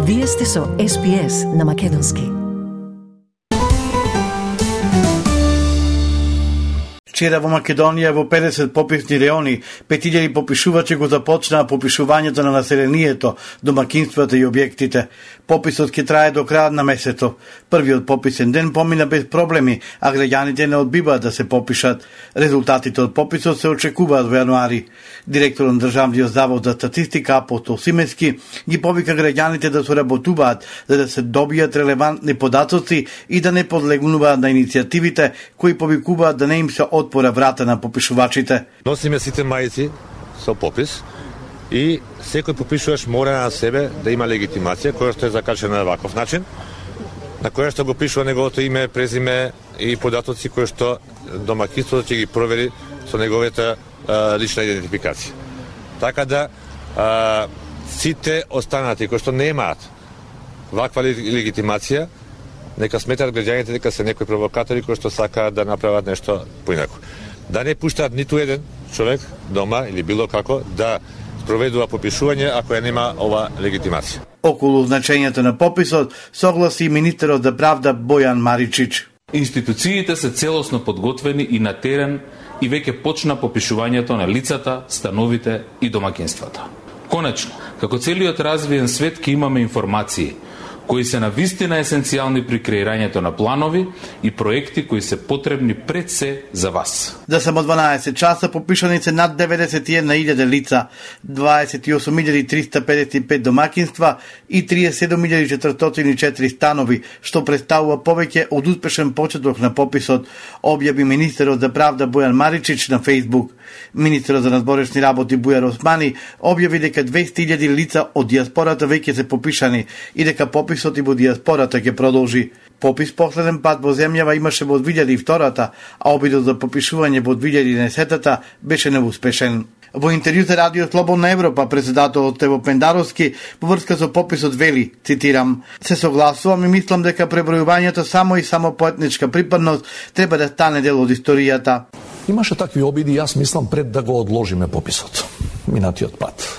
Вие сте со SPS на Македонски. Вчера во Македонија во 50 пописни реони 5000 попишувачи го започнаа попишувањето на населението, домакинствата и објектите. Пописот ќе трае до крајот на месецот. Првиот пописен ден помина без проблеми, а граѓаните не одбиваат да се попишат. Резултатите од пописот се очекуваат во јануари. Директорот на Државниот завод за статистика Апостол Симески ги повика граѓаните да соработуваат за да се добијат релевантни податоци и да не подлегнуваат на иницијативите кои повикуваат да не им се отпора врата на попишувачите. Носиме сите мајци со попис и секој попишуваш мора на себе да има легитимација која што е закачена на ваков начин, на која што го пишува неговото име, презиме и податоци кои што домакинството ќе ги провери со неговата лична идентификација. Така да сите останати кои што немаат ваква легитимација, нека сметат граѓаните дека се некои провокатори кои што сакаат да направат нешто поинаку. Да не пуштаат ниту еден човек дома или било како да спроведува попишување ако ја нема ова легитимација. Околу значењето на пописот согласи и министерот за правда Бојан Маричич. Институциите се целосно подготвени и на терен и веќе почна попишувањето на лицата, становите и домакинствата. Конечно, како целиот развиен свет ќе имаме информации кои се навистина есенцијални при креирањето на планови и проекти кои се потребни пред се за вас. За само 12 часа попишани се над 91.000 лица, 28.355 домакинства и 37.404 станови, што представува повеќе од успешен почеток на пописот, објави министерот за правда Бојан Маричич на Facebook. Министерот за надворешни работи Бујар Османи објави дека 200.000 лица од дијаспората веќе се попишани и дека пописот и во дијаспората ќе продолжи. Попис последен пат во земјава имаше во 2002, а обидот за попишување во 2011 беше неуспешен. Во интервју за Радио Слободна Европа, председателот Тево Пендаровски во врска со пописот вели, цитирам: "Се согласувам и мислам дека пребројувањето само и само по етничка припадност треба да стане дел од историјата." Имаше такви обиди, јас мислам пред да го одложиме пописот, минатиот пат.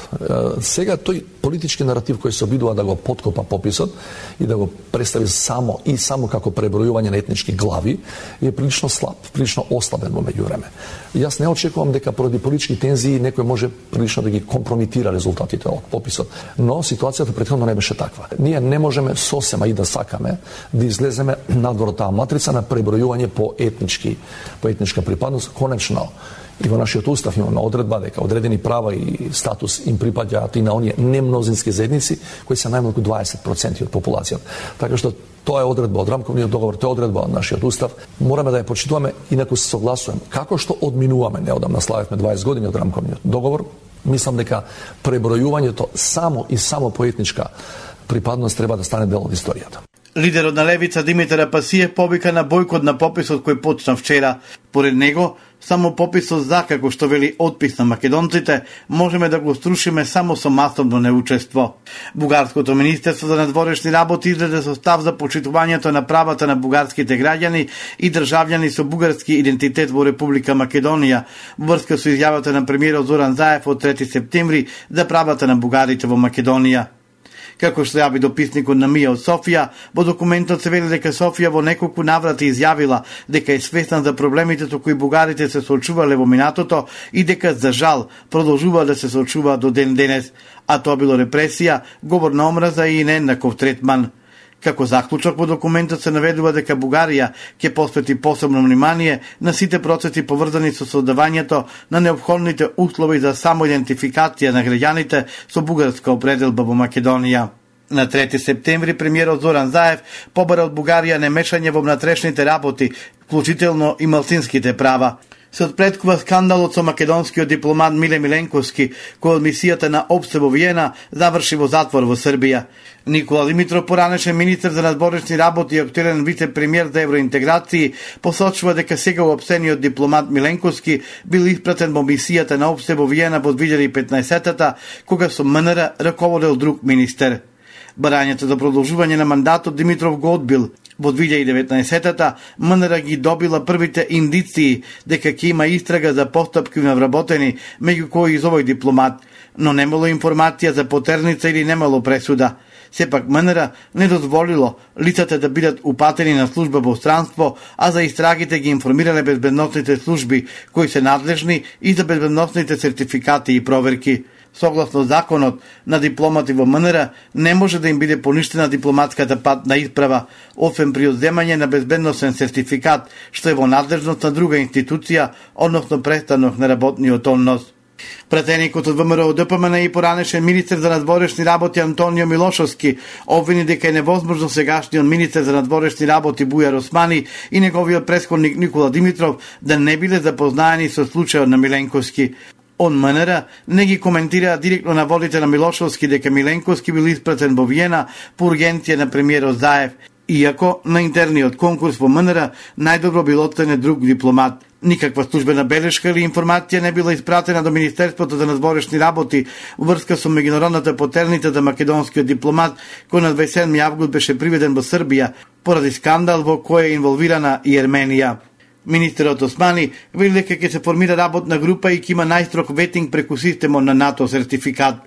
Сега тој политички наратив кој се обидува да го подкопа пописот и да го представи само како пребројување на етнички глави е прилично слаб, прилично ослабен во меѓувреме. Јас не очекувам дека поради политички тензии некој може прилично да ги компромитира резултатите од пописот, но ситуацијата претходно не беше таква. Ние не можеме сосема и да сакаме да излеземе надвор од таа матрица на пребројување по етничка припадност. Конечно, и во нашиот устав имаме одредба дека одредени права и статус им припаѓаат и на оние немнозински заедници кои се најмалку 20% од популацијата. Така што тоа е одредба од рамковниот договор, тоа е одредба од нашиот устав. Мораме да ја почитуваме, инаку се согласуваме. Како што одминуваме, неодамна славевме 20 години од рамковниот договор, мислам дека пребројувањето само по етничка припадност треба да стане дел од историјата. Лидерот на левица Димитар Апасиев повика на бојкот на пописот кој почна вчера. Поред него, само пописот за, како што вели отпис на македонците, можеме да го струшиме само со масовно неучество. Бугарското министерство за надворешни работи издаде состав за почитувањето на правата на бугарските граѓани и државјани со бугарски идентитет во Република Македонија, во врска со изјавата на премиерот Зоран Заев од 3 септември за правата на бугарите во Македонија. Како што јави дописникот на МИА од Софија, во документот се вели дека Софија во неколку наврати изјавила дека е свесна за проблемите со кои бугарите се соочувале во минатото и дека за жал продолжуваат да се соочуваат до ден денес, а тоа било репресија, говор на омраза и нееднаков третман. Како заклучок во документот се наведува дека Бугарија ќе посвети посебно внимание на сите процеси поврзани со создавањето на неопходните услови за самоидентификација на граѓаните со бугарска определба во Македонија. На 3 септември премиерот Зоран Заев побара од Бугарија немешање во внатрешните работи, вклучително и малцинските права. Се отпреткува скандалот со македонскиот дипломат Миле Миленковски, кој од мисијата на ОПСЕ во Виена заврши во затвор во Србија. Никола Димитров, поранешен министер за надворешни работи и актуелен вице-премиер за евроинтеграции, посочува дека сега уопсениот дипломат Миленковски бил испратен во мисијата на ОПСЕ во Виена во 2015-та, кога со МНР раководел друг министер. Барањето за продолжување на мандатот Димитров го одбил. Во 2019-та МНР ги добила првите индиции дека ќе има истрага за постапки навработени, меѓу кои и за овој дипломат, но немало информација за потерница или немало пресуда. Сепак МНР не дозволило лицата да бидат упатени на служба во странство, а за истрагите ги информирале безбедносните служби кои се надлежни и за безбедносните сертификати и проверки. Согласно законот на дипломати во МНР, не може да им биде поништена дипломатската патна исправа, освен при одземање на безбедносен сертификат, што е во надлежност на друга институција, односно престанок на работниот однос. Пратеникот од ВМРО ДПМН и поранешен министер за надворешни работи Антонио Милошовски обвини дека е невозможно сегашниот министер за надворешни работи Бујар Османи и неговиот претходник Никола Димитров да не биле запознаени со случајот на Миленковски. Он МНР не ги коментира директно наводите на Милошовски дека Миленковски бил испратен во Виена по ургенција на премиерот Заев, иако на интерниот конкурс во МНР најдобро бил оценет друг дипломат. Никаква службена белешка или информација не била испратена до Министерството за надворешни работи врска со меѓународната потерница за македонскиот дипломат кој на 27 август беше приведен во Србија поради скандал во кој е инволвирана и Ерменија. Министерот Османи вели дека ќе се формира работна група и ќе има најстрог ветинг преку системот на НАТО сертификат.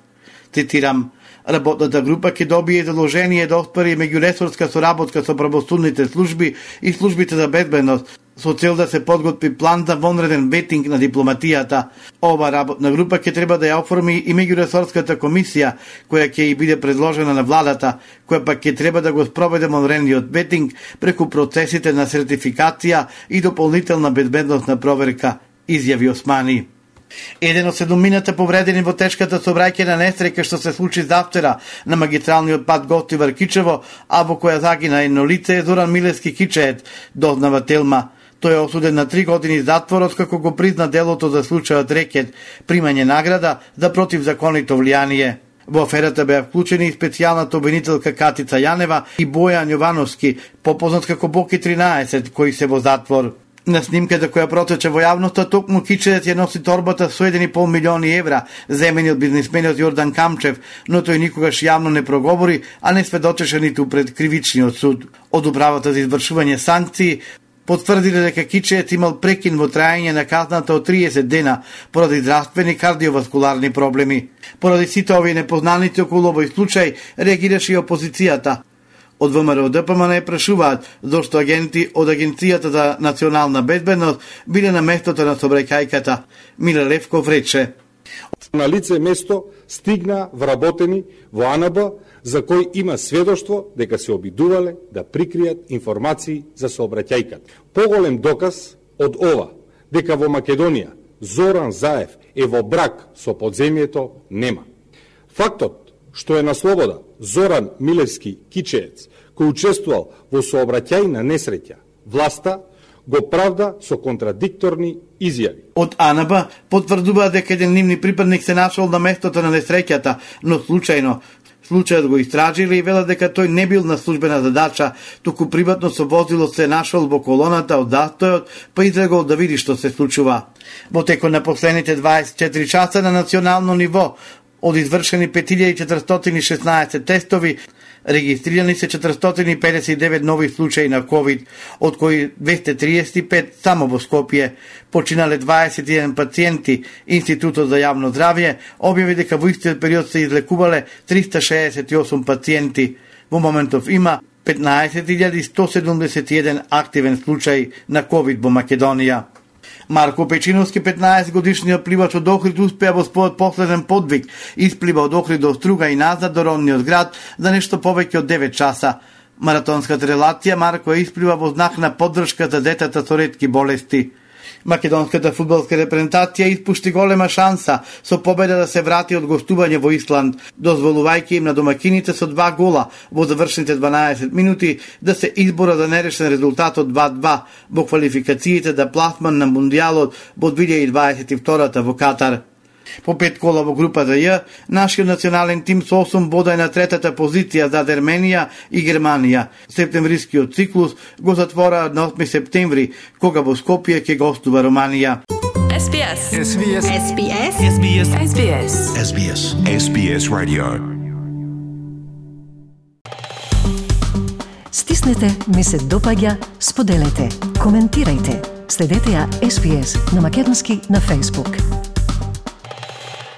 Цитирам: работната група ќе добие задолжение да оствари меѓуресорска соработка со правосудните служби и службите за безбедност со цел да се подготви план за вонреден ветинг на дипломатијата. Ова работна група ќе треба да ја оформи и меѓуресорската комисија, која ќе и биде предложена на владата, која пак ќе треба да го спроведе вонредниот ветинг преку процесите на сертификација и дополнителна безбедносна проверка, изјави Османи. Еден од 7 повредени во тешката сообраќајна несреќа што се случи завчера на магистралниот пат Гостивар-Кичево, а во која загина едно лице е Зоран Милевски Кичеец, дознава Телма. Тој е осуден на 3 години затвор откако го призна делото за случајот рекет, примање награда за противзаконито влијание. Во аферата беа вклучени и специјалната обвинителка Катица Јанева и Бојан Јовановски, попознат како Боки 13, кои се во затвор. На снимката која протече во јавноста, токму Кичеец ја носи торбата со 1,5 милиони евра, земени од бизнисменот Јордан Камчев, но тој никогаш јавно не проговори, а не сведочеше ниту пред кривичниот суд. Од управата за извршување санкции потврдиле дека Кичеец имал прекин во трајање на казната од 30 дена поради здравствени кардиоваскуларни проблеми. Поради сите овие непознаници околу овој случај реагираше и опозицијата. Од ВМРО ДПМН прашуваат зошто агенти од Агенцијата за национална безбедност биле на местото на сообраќајката. Миле Левков рече: на лице место стигна вработени во АНБ за кој има сведоштво дека се обидувале да прикријат информации за сообраќајката. Поголем доказ од ова дека во Македонија Зоран Заев е во брак со подземјето нема. Фактот што е на слобода Зоран Милевски Кичеец, кој учествувал во сообраќајна несреќа, власта го правда со контрадикторни изјави. Од АНБ потврдува дека еден нивни припадник се нашол на местото на несреќата, но случајно. Случајот го истражиле и велат дека тој не бил на службена задача, туку приватно со возило се нашол во колоната од застојот, па излегол да види што се случува. Во текот на последните 24 часа на национално ниво, од извршени 5416 тестови, регистрирани се 459 нови случаи на COVID, од кои 235 само во Скопје. Починале 21 пациенти. Институтот за јавно здравје објави дека во истиот период се излекувале 368 пациенти. Во моментов има 15.171 активен случај на COVID во Македонија. Марко Печиновски, 15-годишниот пливач од Охрид, успеа во својот последен подвиг. Исплива од Охрид до Струга и назад до родниот град за нешто повеќе од 9 часа. Маратонската релација Марко исплива во знак на поддршка за децата со ретки болести. Македонската фудбалска репрезентација испушти голема шанса со победа да се врати од гостување во Исланд, дозволувајќи им на домакините со 2 гола во завршните 12 минути да се избора за нерешен резултат од 2-2 во квалификациите за пласман на Мундијалот во 2022 во Катар. По 5 кола во групата Ј, нашиот национален тим со 8 бода е на третата позиција зад Ерменија и Германија. Септемврискиот циклус го затвора на 8 септември, кога во Скопје ќе гостува Романија. SBS. SBS. SBS. SBS. SBS. SBS. SBS Radio. Стиснете, ми се допаѓа, споделете, коментирајте. Следете ја SBS на Македонски на Facebook.